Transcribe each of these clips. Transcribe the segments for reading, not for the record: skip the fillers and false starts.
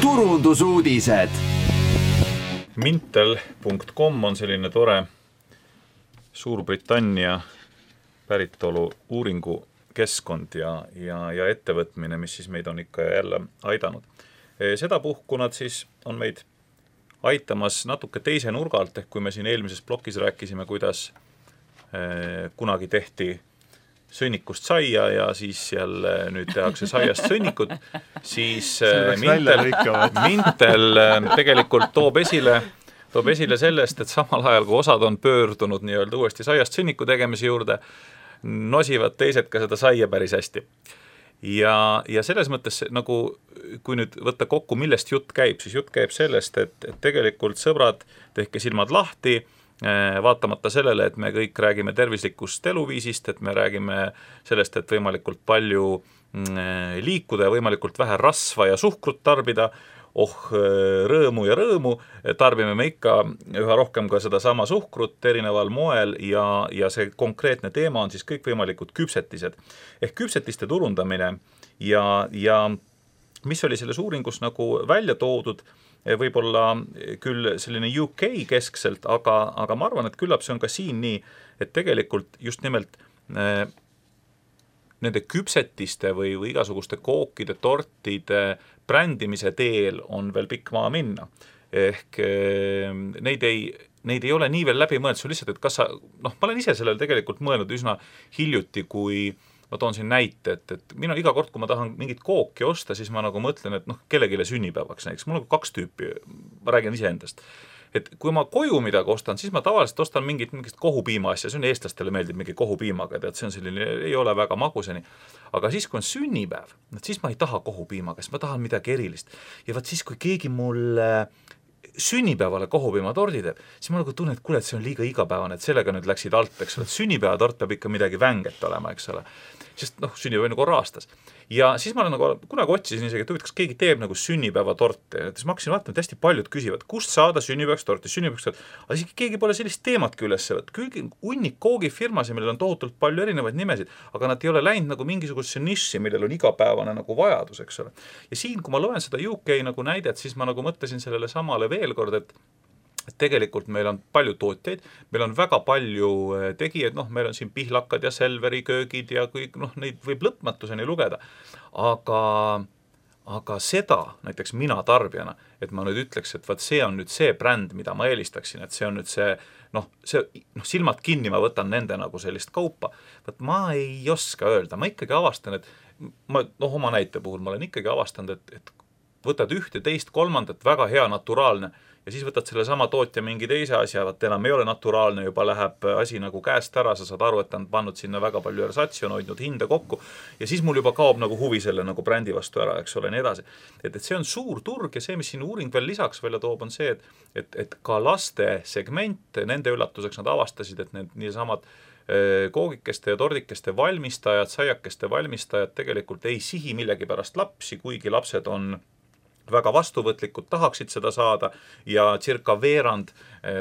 turundusuudised. Mintel.com on selline tore Suurbritannia päritolu uuringukeskkond ja ettevõtmine, mis siis meid on ikka jälle aidanud. Sedapuhku nad siis on meid aitamas natuke teise nurga alt, ehk kui me siin eelmises plokis rääkisime, kuidas kunagi tehti sõnnikust saia ja siis jälle nüüd tehakse saiast sõnnikut, siis Mintel tegelikult toob esile sellest, et samal ajal, kui osad on pöördunud nii-öelda uuesti saiast sõnniku tegemise juurde, nosivad teised ka seda saia päris hästi. Ja selles mõttes, nagu kui nüüd võtta kokku, millest jutt käib, siis jutt käib sellest, et tegelikult sõbrad, tehke silmad lahti, vaatamata sellele, et me kõik räägime tervislikust eluviisist, et me räägime sellest, et võimalikult palju liikuda ja võimalikult vähe rasva ja suhkrut tarbida, rõõmu, tarbime me ikka üha rohkem ka seda sama suhkrut erineval moel ja see konkreetne teema on siis kõikvõimalikud küpsetised. Ehk küpsetiste turundamine ja mis oli selles uuringus nagu välja toodud, võib-olla küll selline UK keskselt, aga ma arvan, et küllap see on ka siin nii, et tegelikult just nimelt nende küpsetiste või igasuguste kookide, tortide brändimise teel on veel pikk maa minna. Ehk neid ei ole nii veel läbi mõelnud, see on lihtsalt, et kas sa, ma olen ise sellele tegelikult mõelnud üsna hiljuti, kui ma toon siin näite, et mina iga kord, kui ma tahan mingit kooki osta, siis ma nagu mõtlen, et kellegile sünnipäevaks näiteks. Mul on 2 tüüpi, ma räägin iseendast. Et kui ma koju midagi ostan, siis ma tavaliselt ostan mingit kohupiima asja, see on eestlastele meeldib mingi kohupiimaga, et see on selline, ei ole väga maguseni. Aga siis, kui on sünnipäev, siis ma ei taha kohupiimaga, siis ma tahan midagi erilist. Ja vaat siis, kui keegi mulle sünnipäevale kohupiimatordi teeb, siis ma nagu tunnen, et kuule, et see on liiga igapäevane, et sellega nüüd läksid alt, eks ole, et sünnipäevatort peab ikka midagi vänget olema, eks ole. Sest sünnipäev nagu aastas. Ja siis ma nagu kunagi otsisin isegi, et kas keegi teeb nagu sünnipäevatorte. Siis ma hakkasin vaatama, et hästi paljud küsivad, kust saada sünnipäevatorti. Aga siis keegi pole sellist teematki üles. Hunnik koogifirmasi, millel on tohutult palju erinevaid nimesid, aga nad ei ole läinud nagu mingisugusesse niši, millel on igapäevane nagu vajadus, eks ole. Ja siin, kui ma loen seda UK nagu näidet, siis ma nagu mõtlesin sellele samale veel kord, et tegelikult meil on palju tootjaid, meil on väga palju tegijaid, meil on siin pihlakad ja Selveri köögid ja kõik, neid võib lõpmatuseni lugeda. Aga seda, näiteks mina tarbijana, et ma nüüd ütleks, et vaat see on nüüd see bränd, mida ma eelistaksin, et see on nüüd see, silmad kinni ma võtan nende nagu sellist kaupa. Vaat ma ei oska öelda, ma ikkagi avastan, et oma näite puhul ma olen ikkagi avastanud, et võtad 1, 2, 3, väga hea naturaalne ja siis võtad selle sama tootja mingi teise asja, vaat enam ei ole naturaalne, juba läheb asi nagu käest ära, sa saad aru, et ta on pannud sinna väga palju ersatsi, on hoidnud hinda kokku ja siis mul juba kaob nagu huvi selle nagu brändi vastu ära, eks ole, nii edasi. Et see on suur turg ja see, mis siin uuring veel lisaks välja toob, on see, et ka laste segment, nende üllatuseks nad avastasid, et need niisamad koogikeste ja tordikeste valmistajad, saiakeste valmistajad tegelikult ei sihi millegi pärast lapsi, kuigi lapsed on väga vastuvõtlikud, tahaksid seda saada ja circa veerand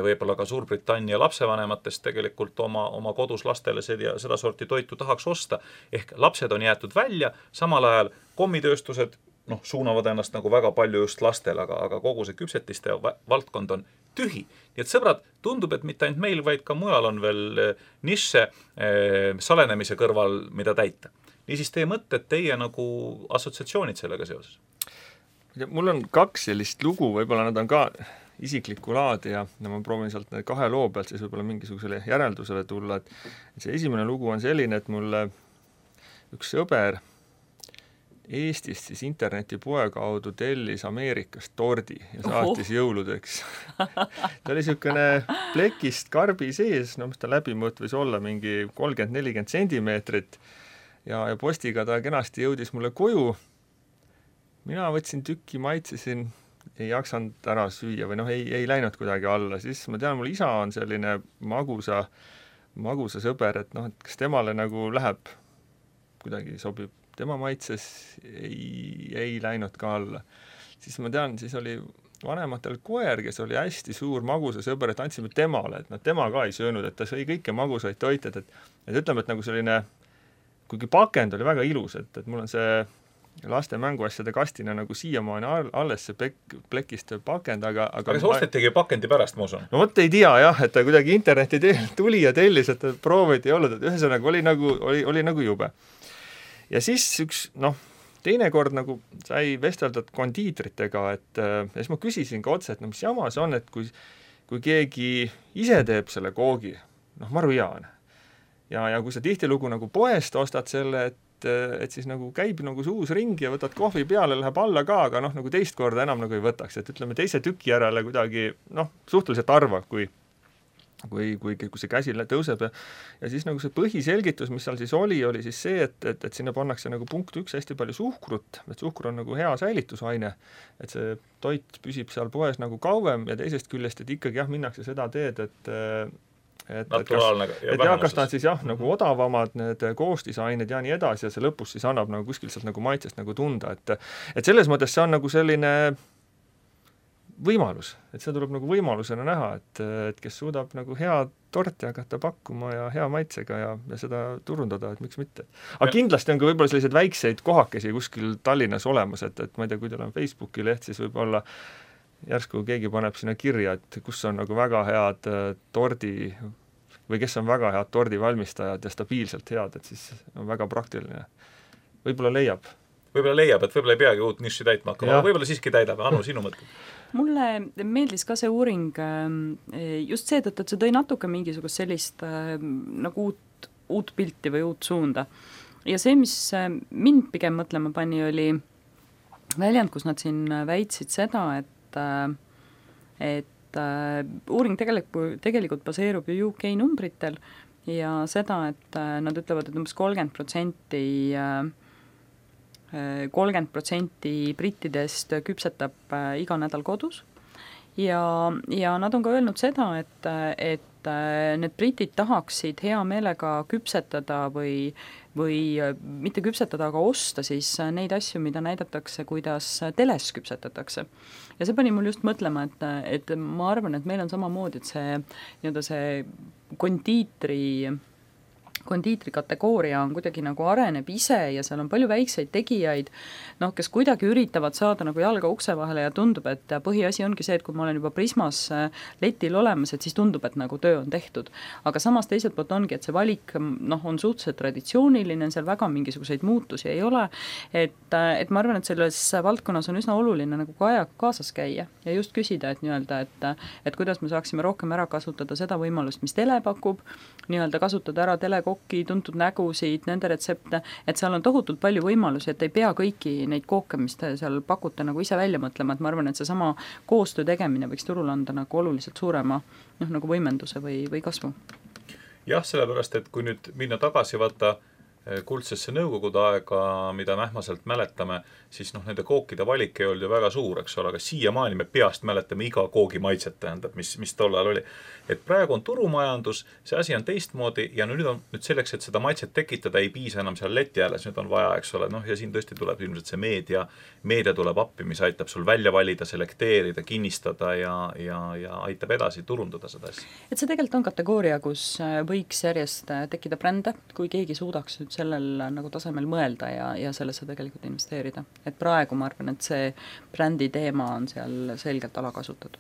võib-olla ka Suurbritannia lapsevanematest tegelikult oma kodus lastele seda sorti toitu tahaks osta. Ehk lapsed on jäetud välja, samal ajal kommitööstused suunavad ennast nagu väga palju just lastele, aga kogu see küpsetiste valdkond on tühi. Nii et sõbrad, tundub, et mitte ainult meil, vaid ka mujal on veel nišše salenemise kõrval, mida täita. Niisiis teie mõtted, teie nagu assotsiatsioonid sellega seoses? Mul on 2 sellist lugu, võib-olla nad on ka isiklikku laadi ja ma proovin sealt 2 loo pealt siis võib-olla mingisugusele järeldusele tulla. Et see esimene lugu on selline, et mulle üks sõber Eestist siis internetipoe kaudu tellis Ameerikast tordi ja saatis jõuludeks. Ta oli niisugune plekist karbi sees, mis ta läbimõõt võis olla mingi 30-40 sentimeetrit ja postiga ta kenasti jõudis mulle koju. Mina võtsin tükki, maitsesin, ei jaksanud ära süüa või ei läinud kuidagi alla. Siis ma tean, mul isa on selline magusa sõber, et kas temale nagu läheb, kuidagi sobib, tema maitses ei läinud ka alla. Siis ma tean, siis oli vanematel koer, kes oli hästi suur magusa sõber, et andsime temale, et tema ka ei söönud, et ta sõi kõike magusaid toite, et ütleme, et nagu selline, kuigi pakend oli väga ilus, et mul on see laste mänguasjade kastina nagu siiamaani alles see plekist pakend, aga see ostetigi pakendi pärast, ma usun? No vot ei tea jah, et ta kuidagi interneti teel tuli ja tellis, et proovid ei olnud, et ühesõnaga oli nagu jube. Ja siis üks, teine kord nagu sai vesteldud kondiitritega, et siis ma küsisin ka otse, et mis jama see on, et kui keegi ise teeb selle koogi, maru hea on. Ja kui sa tihtilugu nagu poest ostad selle, et siis nagu käib nagu see uus ring ja võtad kohvi peale, läheb alla ka, aga nagu teist korda enam nagu ei võtaks, et ütleme teise tüki järele kuidagi suhteliselt harva, kui see käsi tõuseb ja siis nagu see põhiselgitus, mis seal siis oli siis see, et sinna pannakse nagu punkt 1 hästi palju suhkrut, et suhkur on nagu hea säilitusaine, et see toit püsib seal poes nagu kauem ja teisest küljest, et ikkagi minnakse seda teed, kas ta on siis nagu odavamad need koostisained ja nii edasi ja see lõpus siis annab nagu kuskil sealt nagu maitsest nagu tunda, et selles mõttes see on nagu selline võimalus, et seda tuleb nagu võimalusena näha, et kes suudab nagu hea torti hakata pakkuma ja hea maitsega ja seda turundada, et miks mitte. Aga kindlasti on ka võib-olla selliseid väikseid kohakesi kuskil Tallinnas olemas, et ma ei tea, kui teil on Facebooki leht, siis võib-olla järsku keegi paneb sinna kirja, et kus on nagu väga head tordi või kes on väga head tordivalmistajad ja stabiilselt head, et siis on väga praktiline. Võib-olla leiab, et võib-olla ei peagi uut niši täitma hakkama, võib-olla siiski täidab. Anu, sinu mõte? Mulle meeldis ka see uuring just seetõttu, et see tõi natuke mingisugust sellist nagu uut pilti või uut suunda. Ja see, mis mind pigem mõtlema pani, oli väljend, kus nad siin väitsid seda, et uuring tegelikult baseerub ju UK numbritel ja seda, et nad ütlevad, et umbes 30% brittidest küpsetab iga nädal kodus ja nad on ka öelnud seda, et need britid tahaksid hea meelega küpsetada või mitte küpsetada, aga osta siis neid asju, mida näidatakse, kuidas teles küpsetatakse. Ja see pani mul just mõtlema, et ma arvan, et meil on samamoodi, et see kondiitri kategooria on kuidagi nagu areneb ise ja seal on palju väikseid tegijaid, kes kuidagi üritavad saada nagu jalga ukse vahele ja tundub, et põhiasi ongi see, et kui ma olen juba Prismas letil olemas, et siis tundub, et nagu töö on tehtud. Aga samas teiselt poolt ongi, et see valik on suhteliselt traditsiooniline, seal väga mingisuguseid muutusi ei ole, et ma arvan, et selles valdkonnas on üsna oluline nagu ka ajaga kaasas käia ja just küsida, et nii-öelda, et kuidas me saaksime rohkem ära kasutada seda võimalust, mis tele pakub, nii-öelda kasutada ära telekokki, tuntud nägusid, nende retsepte, et seal on tohutult palju võimalusi, et ei pea kõiki neid kooke, mis te seal pakute nagu ise välja mõtlema, et ma arvan, et see sama koostöö tegemine võiks turul anda nagu oluliselt suurema nagu võimenduse või kasvu. Jah, sellepärast, et kui nüüd minna tagasi võtta kuldsesse nõukogude aega, mida mähmaselt mäletame, siis nende kookide valik ei olnud ju väga suur, eks ole, aga siiamaani me peast mäletame iga koogi maitset, tähendab, mis tollal oli. Et praegu on turumajandus, see asi on teistmoodi ja nüüd selleks, et seda maitset tekitada, ei piisa enam seal leti ääres, nüüd on vaja, eks ole, ja siin tõesti tuleb ilmselt see meedia tuleb appi, mis aitab sul välja valida, selekteerida, kinnistada ja aitab edasi turundada seda asja. Et see tegelikult on kategooria, kus võiks järjest tekkida brände, kui keegi suudaks nüüd sellel nagu tasemel mõelda ja sellesse tegelikult investeerida. Et praegu ma arvan, et see brändi teema on seal selgelt alakasutatud.